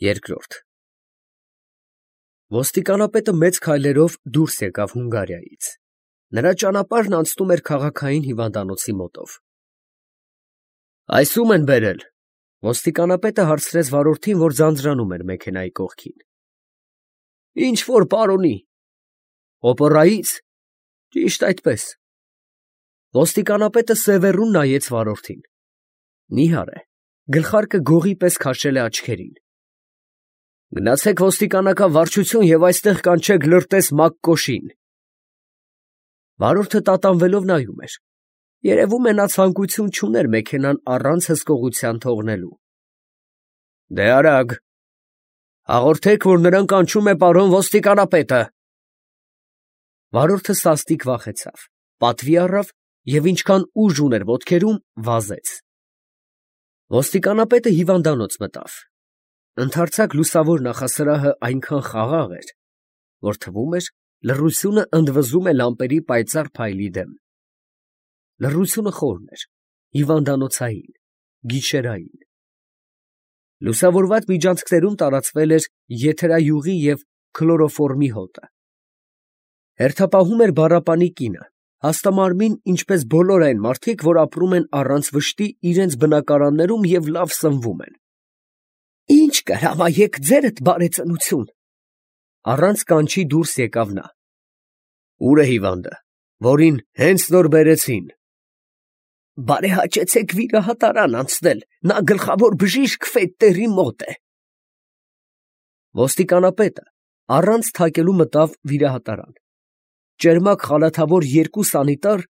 Երկրորդ Ոստիկանապետը մեծ քայլերով դուրս եկավ Հունգարիայից։ Նրա ճանապարհն անցնում էր քաղաքային հիվանդանոցի մոտով։ Այս ո՞ւմ են բերել։ Ոստիկանապետը հարցրեց վարորդին, որ ձանձրանում էր մեքենայի կողքին։ Ինչ որ պարոնի։ Օպերայից։ Ճիշտ այդպես։ Ոստիկանապետը սևեռուն նայեց վարորդին։ Նիհար է, գլխարկը գողի պես քաշել է աչքերին։ Գնացեք ոստիկանական վարչություն և այստեղ կանչեք Լրտես Մակկոշին։ Վարորդը տատանվելով նայում էր։ Երևում է նա ցանկություն չուներ մեքենան առանց հսկողության թողնելու։ Դե արագ։ Հաղորդեք, որ նրան կանչում է պարոն ոստիկանապետը։ Վարորդը սաստիկ վախեցավ, պատվի առավ և ինչքան ուժ ուներ ոտքերում, վազեց։ Ոստիկանապետը հիվանդանոց մտավ։ Ընդարձակ լուսավոր նախասրահը այնքան խաղաղ էր, որ թվում էր լռությունը ընդվզում է լամպերի պայծառ փայլի դեմ։ Լռությունը խորն էր, հիվանդանոցային, գիշերային։ Լուսավորված միջանցքներում տարածվել էր եթերայուղի և քլորոֆորմի հոտը։ Հերթապահում էր բառապանի կինը, հաստամարմին, ինչպես բոլոր այն մարդիկ, որ ապրում են առանց վշտի իրենց բնակարաններում և լավ սնվում են։ Ի՞նչ կհրամայեք ձերդ, բարեծնություն։ Առանց կանչի դուրս եկավ նա։ Ո՞ւր է հիվանդը, որին հենց նոր բերեցին։ Բարեհաճեցեք վիրահատարան անցնել, նա գլխավոր բժիշկ Ֆետտերի մոտ է։ Ոստիկանապետը առանց թակելու մտավ վիրահատարան։ Ճերմակ խալաթավոր երկու սանիտար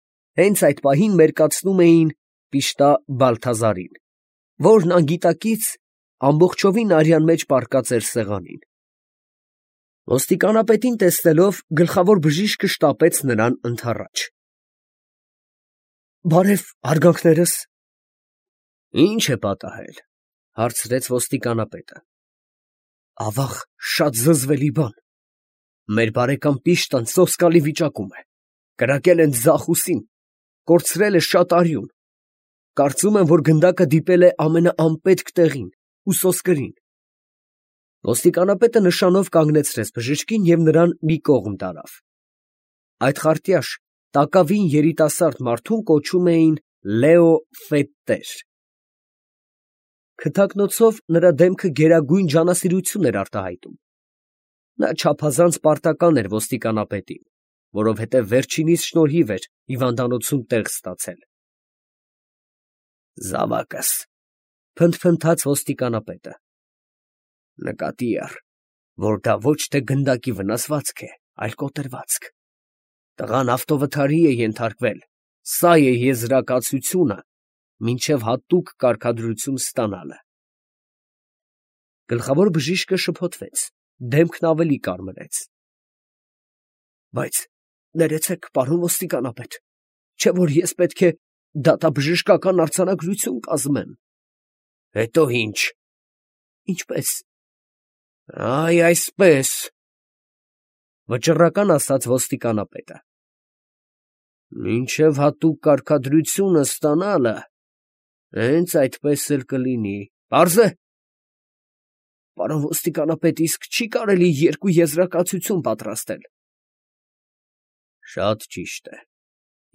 հենց այդ պահին մերկացնում էին Պիշտա Բալթազարին, որն անգիտակից ամբողջովին արյան մեջ պառկած էր սեղանին։ Ոստիկանապետին տեսնելով, գլխավոր բժիշկը շտապեց նրան ընդառաջ։ Բարև, հարգանքներս։ Ի՞նչ է պատահել, հարցրեց ոստիկանապետը։ Ավաղ, շատ զզվելի բան։ Մեր բարեկամ Պիշտան սոսկալի վիճակում է։ Կրակել են ձախ ուսին, կորցրել է շատ արյուն։ Կարծում եմ, որ գնդակը դիպել է ամենաանպետք տեղին, ուսոսկրին։ Ոստիկանապետը նշանով կանգնեցրեց բժշկին և նրան մի կողմ տարավ։ Այդ խարտյաշ, տակավին երիտասարդ մարդուն կոչում էին Լեո Ֆետտեր։ Քթակնոցով նրա դեմքը գերագույն ջանասիրություն էր արտահայտում։ Նա չափազանց պարտական էր ոստիկանապետին, որովհետև վերջինիս շնորհիվ էր հիվանդանոցում տեղ ստացել։ Զավակս, փնթփնթաց ոստիկանապետը։ Նկատի առ, որ դա ոչ թե գնդակի վնասվածք է, այլ կոտրվածք։ Տղան ավտովթարի է ենթարկվել, սա է եզրակացությունը, մինչև հատուկ կարգադրություն ստանալը։ Գլխավոր բժիշկը շփոթվեց, դեմքն ավելի կարմրեց։ Բայց ներեցեք, պարոն ոստիկանապետ, չէ՞ որ ես պետք է դատաբժշկական արձանագրություն կազմեմ։ Հետո ի՞նչ։ Ինչպես։ Այ այսպես, վճռական ասաց ոստիկանապետը։ Մինչև հատուկ կարգադրությունը ստանալը, հենց այդպես էլ կլինի։ Պարզ է։ Պարոն ոստիկանապետ, իսկ չի կարելի երկու եզրակացություն պատրաստել։ Շատ ճիշտ է։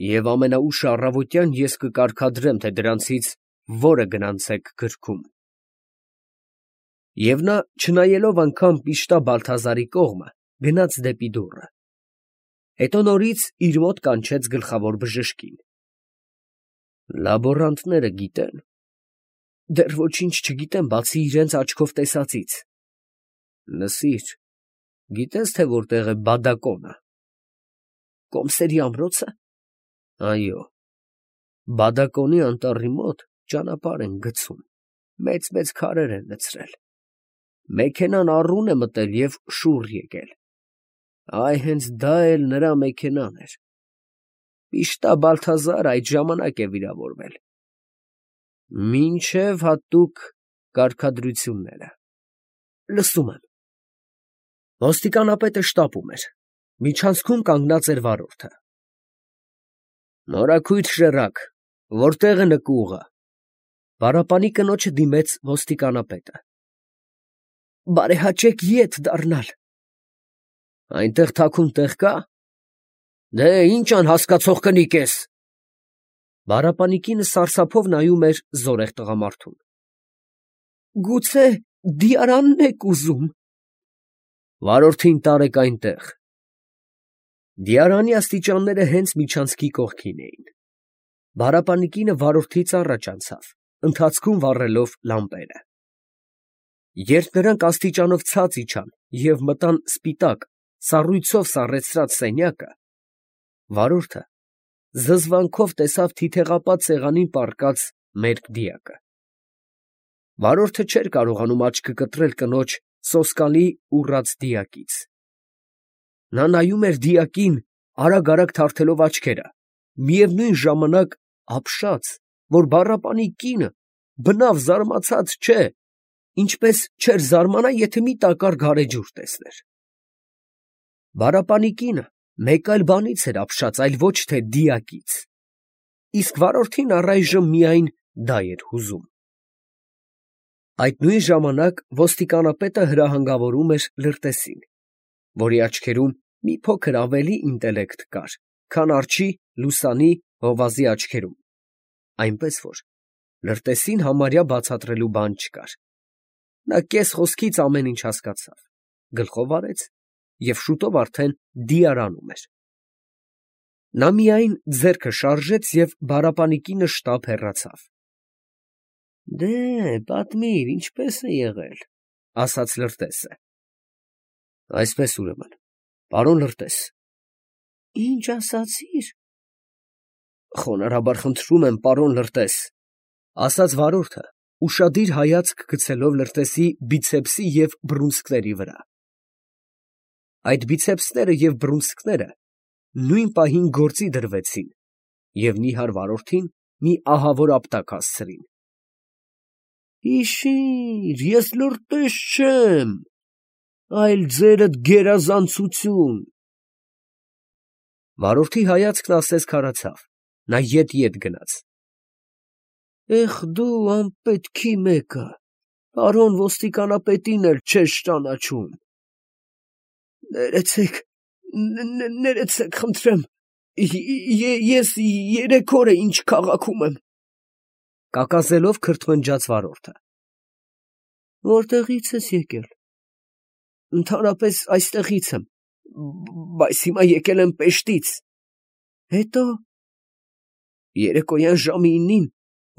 Եվ ամենաուշ առավոտյան ես կկարգադրեմ, թե դրանցից որը գնացեք գրքում։ Եվ նա, չնայելով անգամ Պիշտա Բալթազարի կողմը, գնաց դեպի դուռը։ Հետո նորից իր մոտ կանչեց գլխավոր բժշկին։ Լաբորանտները գիտեն։ Դեռ ոչինչ չգիտեմ, բացի իրենց աչքով տեսածից։ Լսիր, գիտես, թե որտեղ է բադակոնը։ Կոմսերի ամրոցը։ Այո։ Բադակոնի անտառի մոտ ճանապարհ են գցում, մեծ քարեր են լցրել։ Մեքենան առուն է մտել և շուռ եկել։ Այ հենց դա էլ նրա մեքենան էր։ Պիշտա Բալթազարը այդ ժամանակ է վիրավորվել։ Մինչև հատուկ կարգադրությունները։ Լսում եմ։ Ոստիկանապետը շտապում էր։ Միջանցքում կանգնած էր վարորդը։ Նորաքույր շեռակ, որտեղ է նկուղը։ Պարապանի կնոջը դիմեց ոստիկանապետը։ բարեհաճեք ետ դառնալ։ Այնտեղ թաքուն տեղ կա։ Դե ինչ անհասկացող կնիկ ես։ Բառապանի կինը սարսափով նայում էր զորեղ տղամարդուն։ Գուցե դիարանն եք ուզում։ Վարորդին տարեք այնտեղ։ Դիարանի աստիճանները հենց միջանցքի կողքին էին։ Բառապանի կինը վարորդից առաջ անցավ, ընթացքում վառելով լամպերը։ Երբ նրանք աստիճանով ցած իջան և մտան սպիտակ, սառույցով սառեցրած սենյակը, վարորդը զզվանքով տեսավ թիթեղապատ սեղանին պառկած մերկ դիակը։ Վարորդը չէր կարողանում աչքը կտրել կնոջ սոսկալի ուռած դիակից։ Նա նայում էր դիակին, արագ թարթելով աչքերը, միևնույն ժամանակ ապշած, որ բառապանի կինը բնավ զարմացած չէ, ինչպես չէր զարմանա, եթե մի տակառ գարեջուր տեսներ։ Բառապանի կինը մեկ այլ բանից էր ապշած, այլ ոչ թե դիակից, իսկ վարորդին առայժմ միայն դա էր հուզում։ Այդ նույն ժամանակ ոստիկանապետը հրահանգավորում էր Լրտեսին, որի աչքերում մի փոքր ավելի ինտելեկտ կար, քան արջի, լուսանի, հովազի աչքերում, այնպես որ Լրտեսին համարյա բացատրելու բան չկար։ Նա կես խոսքից ամեն ինչ հասկացավ, գլխով արեց և շուտով արդեն դիարանում էր։ Նա միայն ձեռքը շարժեց և բառապանի կինը շտապ հեռացավ։ Դե, պատմիր, ինչպես է եղել, ասաց Լրտեսը։ Այսպես ուրեմն, պարոն Լրտես։ Ինչ ասացիր։ Խոնարհաբար խնդրում եմ, պարոն Լրտես, ասաց վարորդը, ուշադիր հայացք գցելով Լրտեսի բիցեպսի և բռունցքների վրա։ Այդ բիցեպսները և բռունցքները նույն պահին գործի դրվեցին և նիհար վարորդին մի ահավոր ապտակ հասցրին։ Հիշի՛ր, ես Լրտես չեմ, այլ ձերդ գերազանցություն։ Վարորդի հայացքն ասես քարացավ, նա ետ գնաց։ Դու անպետքի մեկը, պարոն ոստիկանապետին էլ չես ճանաչում։ Ներեցեք, խնդրեմ, ես 3 օր է ինչ քաղաքում եմ, կակազելով քրթմնջաց վարորդը։ Որտեղի՞ց ես եկել։ Ընդհանրապես այստեղից եմ, բայց հիմա եկել եմ Պեշտից։ Հետո։ Երեկոյան ժամը 9-ին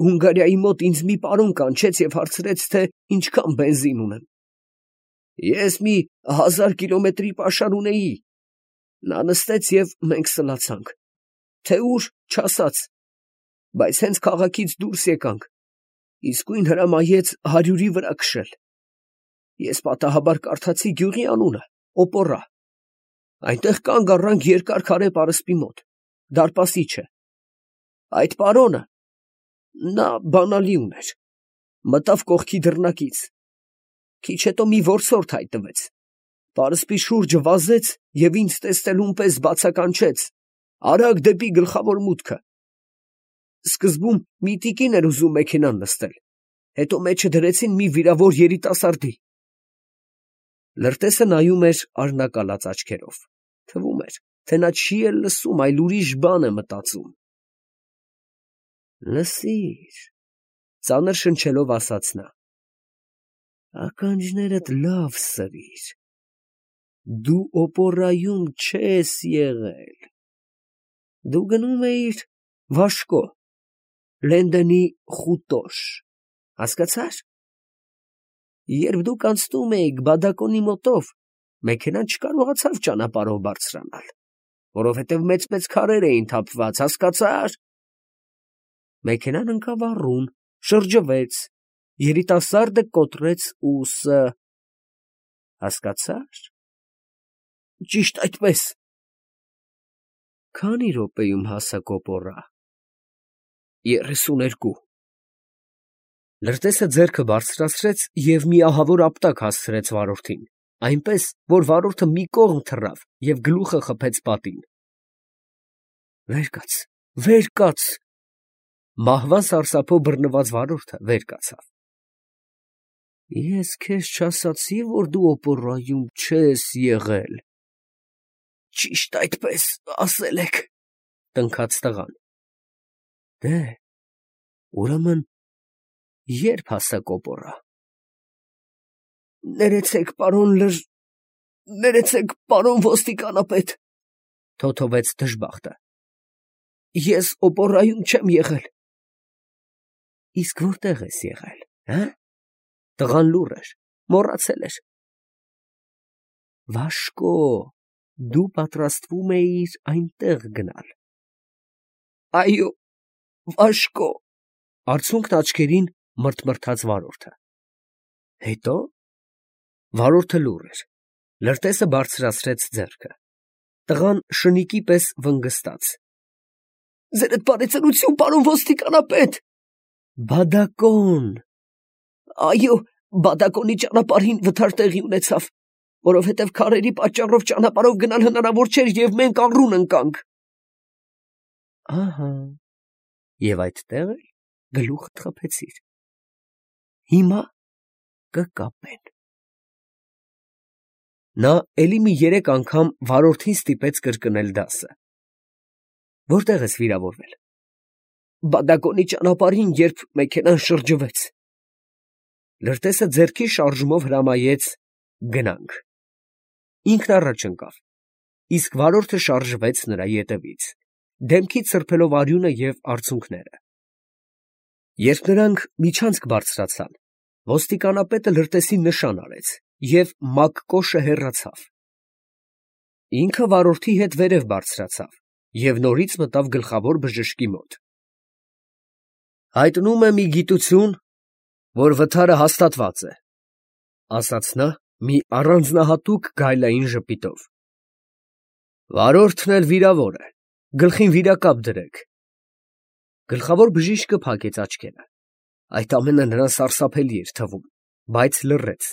Հունգարիայի մոտ ինձ մի պարոն կանչեց և հարցրեց, թե ինչքան բենզին ունեմ։ Ես մի 1000 կիլոմետրի պաշար ունեի։ Նա նստեց և մենք սլացանք, թե ուր չասաց, բայց հենց քաղաքից դուրս եկանք, իսկույն հրամայեց 100-ի վրա քշել։ Ես պատահաբար կարդացի գյուղի անունը՝ Օպորա։ Այնտեղ կանգ առանք երկար քարե պարսպի մոտ, դարպասիչը։ Այդ պարոնը, նա բանալի ուներ, մտավ կողքի դռնակից, քիչ հետո մի որսորդ հայտնվեց, պարսպի շուրջը վազեց և ինձ տեսնելուն պես բացականչեց, արագ դեպի գլխավոր մուտքը։ Սկզբում մի տիկին էր ուզում մեքենան նստել, հետո մեջը դրեցին մի վիրավոր երիտասարդի։ Լրտեսը նայում էր արհնակալած աչքերով, թվում էր, թե նա չի էլ լսում, այլ ուրիշ բան է մտածում։ Լսիր, ծանր շնչելով ասաց նա, ականջներդ լավ սրիր, դու Օպորայում չես եղել, դու գնում էիր Վաշկո, Լենդենի Խուտոշ, հասկացա՞ր։ Երբ դուք անցնում էիք Բադակոնի մոտով, մեքենան չկարողացավ ճանապարհով բարձրանալ, որովհետև մեծ քարեր էին թափված, հասկացա՞ր։ Մեքենան ընկավ առուն, շրջվեց, երիտասարդը կոտրեց ուսը, հասկացա՞ր։ Ճիշտ այդպես։ Քանի րոպեում հասաք Օպորա։ 32։ Լրտեսը ձեռքը բարձրացրեց և մի ահավոր ապտակ հասցրեց վարորդին, այնպես, որ վարորդը մի կողմ թռավ և գլուխը խփեց պատին։ Վեր կաց։ Մահվան սարսափով բռնված վարորդը վեր կացավ։ Ես քեզ չասացի, որ դու օպերայում չես եղել։ Ճիշտ այդպես ասել եք, տնքաց տղան։ Դե, ուրեմն երբ հասակ օպերա։ Ներեցեք, պարոն ոստիկանապետ, թոթովեց դժբախտը։ Ես օպերայում չեմ եղել։ Իսկ որտեղ ես եղել, հա՞։ Տղան լուռ էր, մոռացել էր։ Վաշկո, դու պատրաստվում էիր այնտեղ գնալ։ Այո, Վաշկո, արցունքն աչքերին մրթմրթաց վարորդը։ Հետո։ Վարորդը լուռ էր, լրտեսը բարձրացրեց ձեռքը։ Տղան շնիկի պես վնգստաց։ Ձերդ բարեցանություն, պարոն ոստիկանապետ։ Բադակոն։ Այո, բադակոնի ճանապարհին վթար տեղի ունեցավ, որովհետև քարերի պատճառով ճանապարհով գնալ հնարավոր չէր և մենք աղռուն ընկանք։ Ահա, և այդտեղ էլ գլուխդ խփեցիր։ Հիմա կկապեն։ Նա էլի մի 3 անգամ վարորդին ստիպեց կրկնել դասը։ Որտեղ ես վիրավորվել։ Բադակոնի ճանապարհին, երբ մեքենան շրջվեց։ Լրտեսը ձեռքի շարժումով հրամայեց գնանք։ Ինքն առաջ ընկավ, իսկ վարորդը շարժվեց նրա ետևից, դեմքից սրբելով արյունը և արցունքները։ Երբ նրանք միջանցք բարձրացան, ոստիկանապետը լրտեսին նշան արեց և մակկոշը հեռացավ։ Ինքը վարորդի հետ վերև բարձրացավ և նորից մտավ գլխավոր բժշկի մոտ։ Հայտնում եմ ի գիտություն, որ վթարը հաստատված է, ասաց նա մի առանձնահատուկ գայլային ժպիտով։ Վարորդն էլ վիրավոր է, գլխին վիրակապ դրեք։ Գլխավոր բժիշկը փակեց աչքերը։ Այդ ամենը նրան սարսափելի էր թվում, բայց լռեց։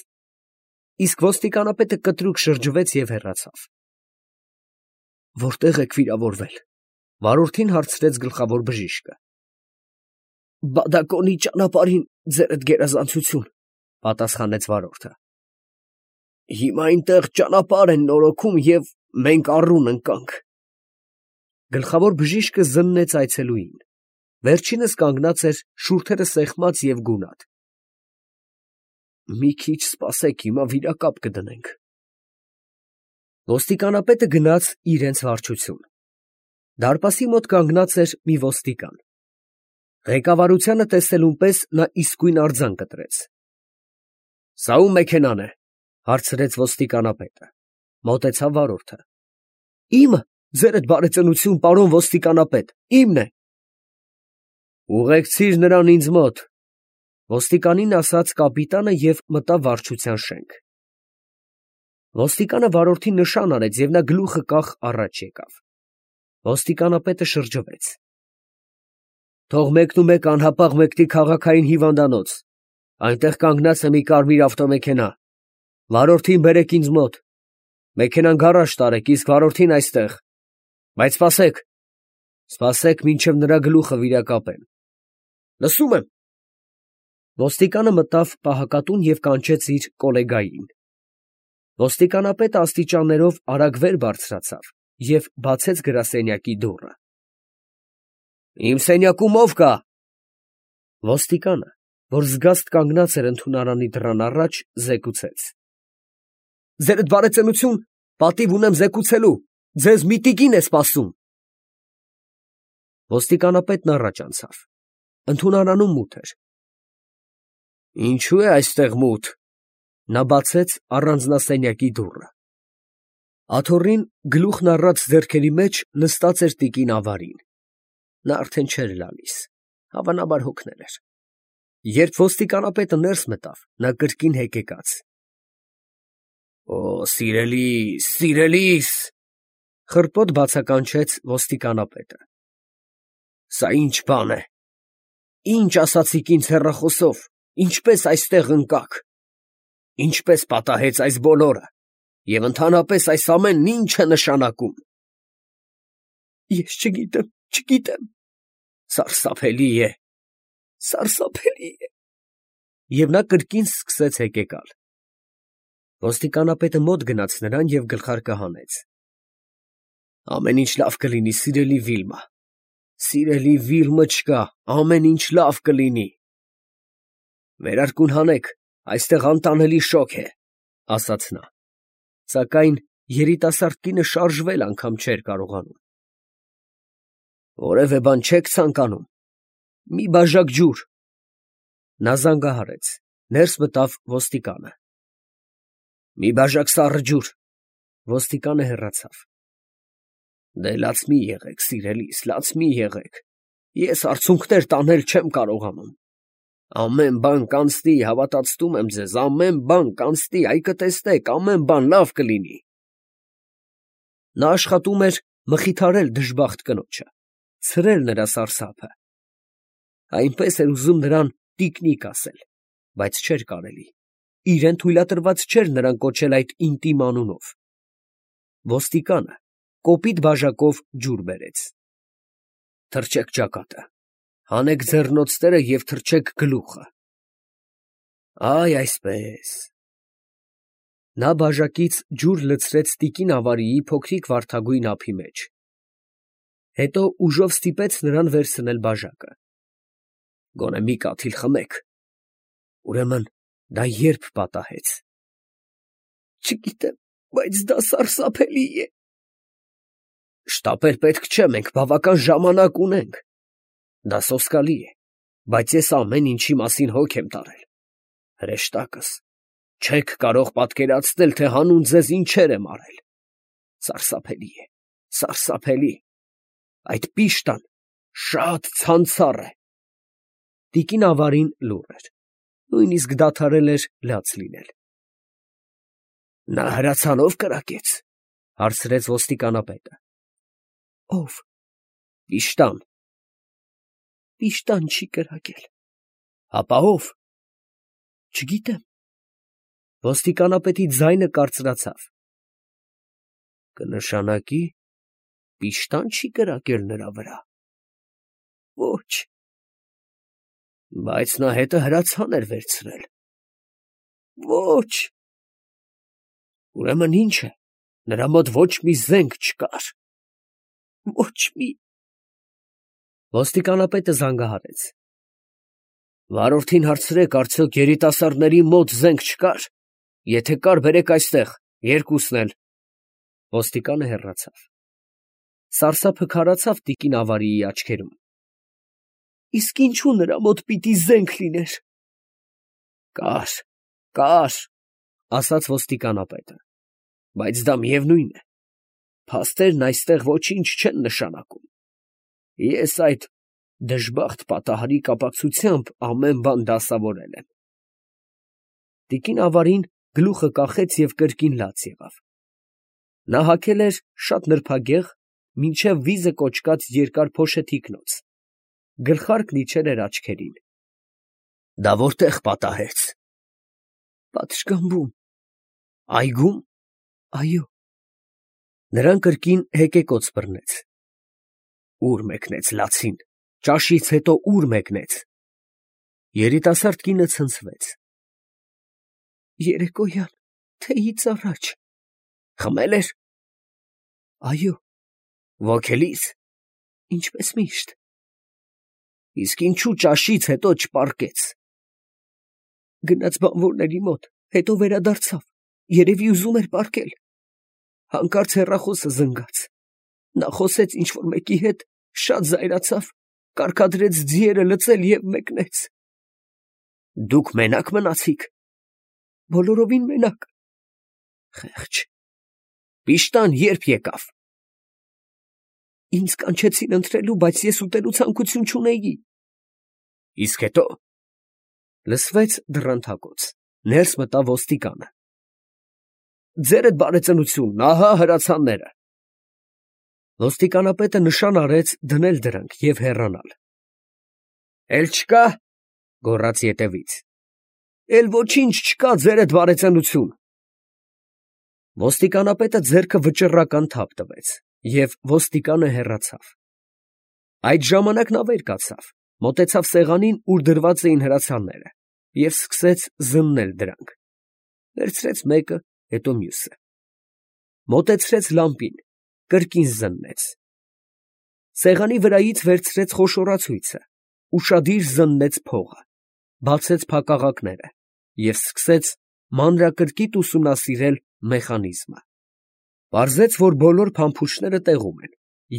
Իսկ ոստիկանապետը կտրուկ շրջվեց և հեռացավ։ Որտե՞ղ եք վիրավորվել, վարորդին հարցրեց գլխավոր բժիշկը։ Բադակոնի ճանապարհին, ձերդ գերազանցություն, պատասխանեց վարորդը։ Հիմա այնտեղ ճանապարհ են նորոգում և մենք աղռուն ընկանք։ Գլխավոր բժիշկը զննեց այցելուին։ Վերջինս կանգնած էր շուրթերը սեղմած և գունատ։ Մի քիչ սպասեք, հիմա վիրակապ կդնենք։ Ոստիկանապետը գնաց իրենց վարչություն։ Դարպասի մոտ կանգնած էր մի ոստիկան։ Ղեկավարությանը տեսնելուն պես նա իսկույն արձան կտրեց։ Սա ո՞ւմ մեքենան է, հարցրեց ոստիկանապետը։ Մոտեցավ վարորդը։ Իմը, ձերդ բարեծնություն, պարոն ոստիկանապետ, իմն է։ Ուղեկցիր նրան ինձ մոտ, ոստիկանին ասաց կապիտանը և մտավ վարչության շենք։ Ոստիկանը վարորդին նշան արեց և նա գլուխը կախ առաջ եկավ։ Ոստիկանապետը շրջվեց։ Թող մեկնումեկ անհապաղ մեկնի քաղաքային հիվանդանոց, այնտեղ կանգնած է մի կարմիր ավտոմեքենա, վարորդին բերեք ինձ մոտ, մեքենան գարաժ տարեք, իսկ վարորդին այստեղ, բայց սպասեք, մինչև նրա գլուխը վիրակապեն։ Լսում եմ։ Ոստիկանը մտավ պահակատուն և կանչեց իր կոլեգային։ Ոստիկանապետը աստիճաններով արագ վեր բարձրացավ և բացեց գրասենյակի դուռը։ Իմ սենյակում ո՞վ կա։ Ոստիկանը, որ զգաստ կանգնած էր ընդունարանի դռան առաջ, զեկուցեց։ Ձերդ բարեծնություն, պատիվ ունեմ զեկուցելու, ձեզ մի տիկին է սպասում։ Ոստիկանապետն առաջ անցավ։ Ընդունարանում մութ էր։ Ինչու է այստեղ մութ։ Նա բացեց առանձնասենյակի դուռը։ Աթոռին գլուխն առած ձեռքերի մեջ նստած էր տիկին ավարին։ Նա արդեն չէր լալիս, հավանաբար հոգնել էր։ Երբ ոստիկանապետը ներս մտավ, նա կրկին հեկեկաց։ Օ, սիրելիս, խռպոտ բացականչեց ոստիկանապետը։ Սա ինչ բան է։ Ինչ ասացիք ինձ հեռախոսով, ինչպես այստեղ ընկաք, ինչպես պատահեց այս բոլորը, և ընդհանրապես այս ամենն ինչ է նշանակում։ Ես չգիտեմ, սարսափելի է։ և նա կրկին սկսեց հեկեկալ։ Ոստիկանապետը մոտ գնաց նրան և գլխարկը հանեց։ Ամեն ինչ լավ կլինի, սիրելի Վիլմա, սիրելի Վիլմը չկա, ամեն ինչ լավ կլինի։ Վերարկուն հանեք, այստեղ անտանելի շոգ է, ասաց նա, սակայն երիտասարդ կինը շարժվել անգամ չէր կարողանում։ Որևէ բան չեք ցանկանում, մի բաժակ ջուր։ Նա զանգահարեց, ներս մտավ ոստիկանը։ Մի բաժակ սառը ջուր։ Ոստիկանը հեռացավ։ Դե լաց մի եղեք, սիրելիս, լաց մի եղեք, ես արցունքներ տանել չեմ կարողանում։ Ամեն բան կանցնի, հավատացնում եմ ձեզ, ամեն բան կանցնի, այ կտեսնեք, ամեն բան լավ կլինի։ Նա աշխատում էր մխիթարել դժբախտ կնոջը, ցրել նրա սարսափը։ Այնպես էր ուզում նրան տիկնիկ ասել, բայց չէր կարելի, իրեն թույլատրված չէր նրան կոչել այդ ինտիմ անունով։ Ոստիկանը կոպիտ բաժակով ջուր բերեց։ Թրջեք ճակատը, հանեք ձեռնոցները և թրջեք գլուխը։ Այ այսպես։ Նա բաժակից ջուր լցրեց տիկին ավարիի փոքրիկ վարդագույն ափի մեջ։ Հետո ուժով ստիպեց նրան վերցնել բաժակը։ Գոնե մի կաթիլ խմեք։ Ուրեմն դա երբ պատահեց։ Չգիտեմ, բայց դա սարսափելի է։ Շտապել պետք չէ, մենք բավական ժամանակ ունենք։ Դա սոսկալի է, բայց ես ամեն ինչի մասին հոգ եմ տարել։ Հրեշտակս, չեք կարող պատկերացնել, թե հանուն ձեզ ինչեր եմ արել։ Սարսափելի է, սարսափելի։ Այդ պիշտան շատ ցանցառ է։ Տիկին ավարին լուռ էր, նույնիսկ դադարել էր լաց լինել։ Նա հրացանով կրակեց, հարցրեց ոստիկանապետը։ Ով։ Պիշտան։ Պիշտան չի կրակել։ Հապա ով։ Չգիտեմ։ Ոստիկանապետի ձայնը կարծրացավ։ Կնշանակի, պիշտան չի կրակել նրա վրա։ Ոչ։ Բայց նա հետը հրացան էր վերցրել։ Ոչ։ Ուրեմն ինչ է, նրա մոտ ոչ մի զենք չկար։ Ոչ մի։ Ոստիկանապետը զանգահարեց։ Վարորդին հարցրեք, արդյոք երիտասարդների մոտ զենք չկար։ Եթե կար, բերեք այստեղ, երկուսն էլ։ Ոստիկանը հեռացավ։ Սարսափը քարացավ տիկին ավարիի աչքերում։ Իսկ ինչու նրա մոտ պիտի զենք լիներ։ Կար, ասաց ոստիկանապետը, բայց դա միևնույն է։ Փաստերն այստեղ ոչինչ չեն նշանակում։ Ես այդ դժբախտ պատահարի կապակցությամբ ամեն բան դասավորել եմ։ Տիկին ավարին գլուխը կախեց և կրկին լաց եղավ։ Նա հագել էր շատ նրբագեղ, մինչև վիզը կոչկած երկար փոշը թիկնոց, գլխարկն իջել էր աչքերին։ Դա որտեղ պատահեց։ Պատշգամբում։ Այգու՞մ։ Այո։ Նրան կրկին հեկեկոծ բռնեց։ Ուր մեկնեց լացին, ճաշից հետո ուր մեկնեց։ Երիտասարդ կինը ցնցվեց։ Երեկոյան, թեյից առաջ։ Խմել էր։ Այո։ Ոգելից։ Ինչպես միշտ։ Իսկ ինչու ճաշից հետո չպառկեց։ Գնաց բանվորների մոտ, հետո վերադարձավ, երևի ուզում էր պառկել։ Հանկարծ հեռախոսը զնգաց։ Նա խոսեց ինչ-որ մեկի հետ, շատ զայրացավ, կարգադրեց ձիերը լցել և մեկնեց։ Դուք մենակ մնացիք։ Բոլորովին մենակ։ Խեղճ։ Պիշտան երբ եկավ։ Ինձ կանչեցին ընթրելու, բայց ես ուտելու ցանկություն չունեի։ Իսկ հետո։ Լսվեց դռնթակոց, ներս մտավ ոստիկանը։ Ձերդ բարեծնություն, ահա հրացանները։ Ոստիկանապետը նշան արեց դնել դրանք և հեռանալ։ Էլ չկա, գոռաց ետևից։ Էլ ոչինչ չկա, ձերդ բարեծնություն։ Ոստիկանապետը ձեռքը վճռական թափ տվեց, և ոստիկանը հեռացավ։ Այդ ժամանակ նա վեր կացավ, մոտեցավ սեղանին, ուր դրված էին հրացանները, և սկսեց զննել դրանք. վերցրեց մեկը, հետո մյուսը, մոտեցրեց լամպին, կրկին զննեց, սեղանի վրայից վերցրեց խոշորացույցը, ուշադիր զննեց փողը, բացեց փակաղակները և սկսեց մանրակրկիտ ուսումնասիրել մեխանիզմը. պարզեց, որ բոլոր փամփուշտները տեղում են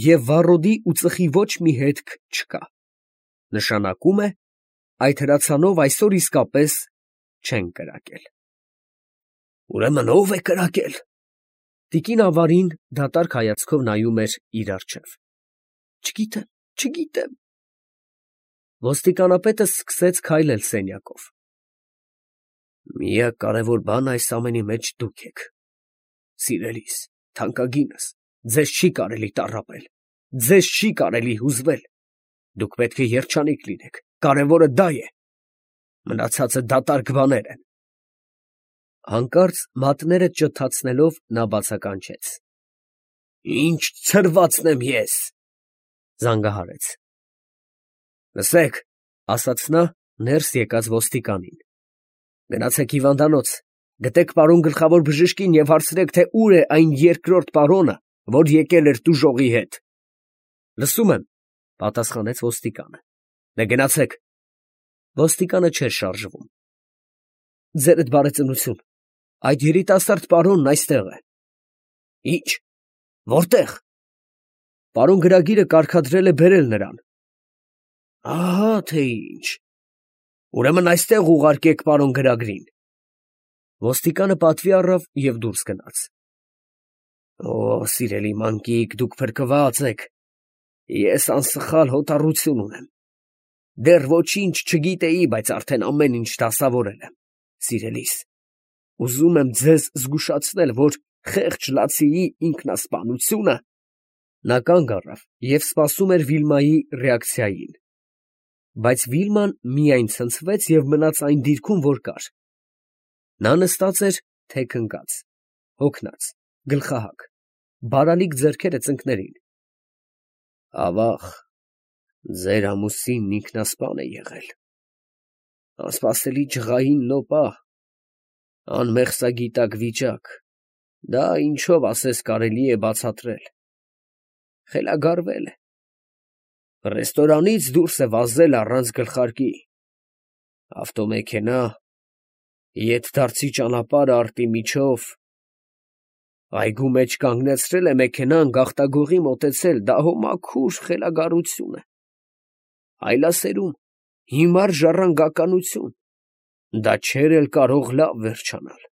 և վառոդի ու ծխի ոչ մի հետք չկա, նշանակում է, այդ հրացանով այսօր իսկապես չեն կրակել։ Ուրեմն ո՞վ է կրակել։ Տիկին ավարին դատարկ հայացքով նայում էր իր առջև։ Չգիտեմ, չգիտեմ։ Ոստիկանապետը սկսեց քայլել սենյակով։ Միակ կարևոր բանը այս ամենի մեջ դուք եք։ Սիրելիս, թանկագինս, ձեզ չի կարելի տառապել, ձեզ չի կարելի հուզվել։ Դուք պետք է երջանիկ լինեք, կարևորը դա է։ Մնացածը դատարկ բաներ են։ Հանկարծ մատները ճթացնելով նա բացականչեց. Ինչ ցրվածն եմ ես, զանգահարեց։ Լսեք, ասաց նա ներս եկած ոստիկանին. գնացեք հիվանդանոց, գտեք պարոն գլխավոր բժշկին և հարցրեք, թե ուր է այն երկրորդ պարոնը, որ եկել էր տուժողի հետ։ Լսում եմ, պատասխանեց ոստիկանը։ Դե գնացեք։ Ոստիկանը չէր շարժվում։ Ձերդ բարեծնություն, այդ երիտասարդ պարոնն այստեղ է։ Ինչ, որտեղ։ Պարոն գրագիրը կարգադրել է բերել նրան։ Ահա թե ինչ։ Ուրեմն այստեղ ուղարկեք պարոն գրագրին։ Ոստիկանը պատվի առավ և դուրս գնաց։ Օ, սիրելի մանկիկ, դուք փրկված եք։ Ես անսխալ հոտառություն ունեմ։ Դեռ ոչինչ չգիտեի, բայց արդեն ամեն ինչ դասավորել եմ։ Սիրելիս, ուզում եմ ձեզ զգուշացնել, որ խեղճ լացիի ինքնասպանությունը… Նա կանգ առավ և սպասում էր Վիլմայի ռեակցիային, բայց Վիլման միայն ցնցվեց և մնաց այն դիրքում, որ կար։ Նա նստած էր թեք ընկած, հոգնած, գլխահակ, բարալիկ ձեռքերը ծնկներին։ Ավաղ, ձեր ամուսինն ինքնասպան է եղել։ Անսպասելի ջղային նոպա, անմեղսագիտակ վիճակ, դա ինչով ասես կարելի է բացատրել։ Խելագարվել է։ Ռեստորանից դուրս է վազել առանց գլխարկի։ Ավտոմեքենա, ետդարձի ճանապարհը արտի միջով։ Այգու մեջ կանգնեցրել է մեքենան, գաղտագողի մոտեցել, դա հո մաքուր խելագարություն է։ Այլասերում, հիմար ժառանգականություն, դա չէր էլ կարող լավ վերջանալ։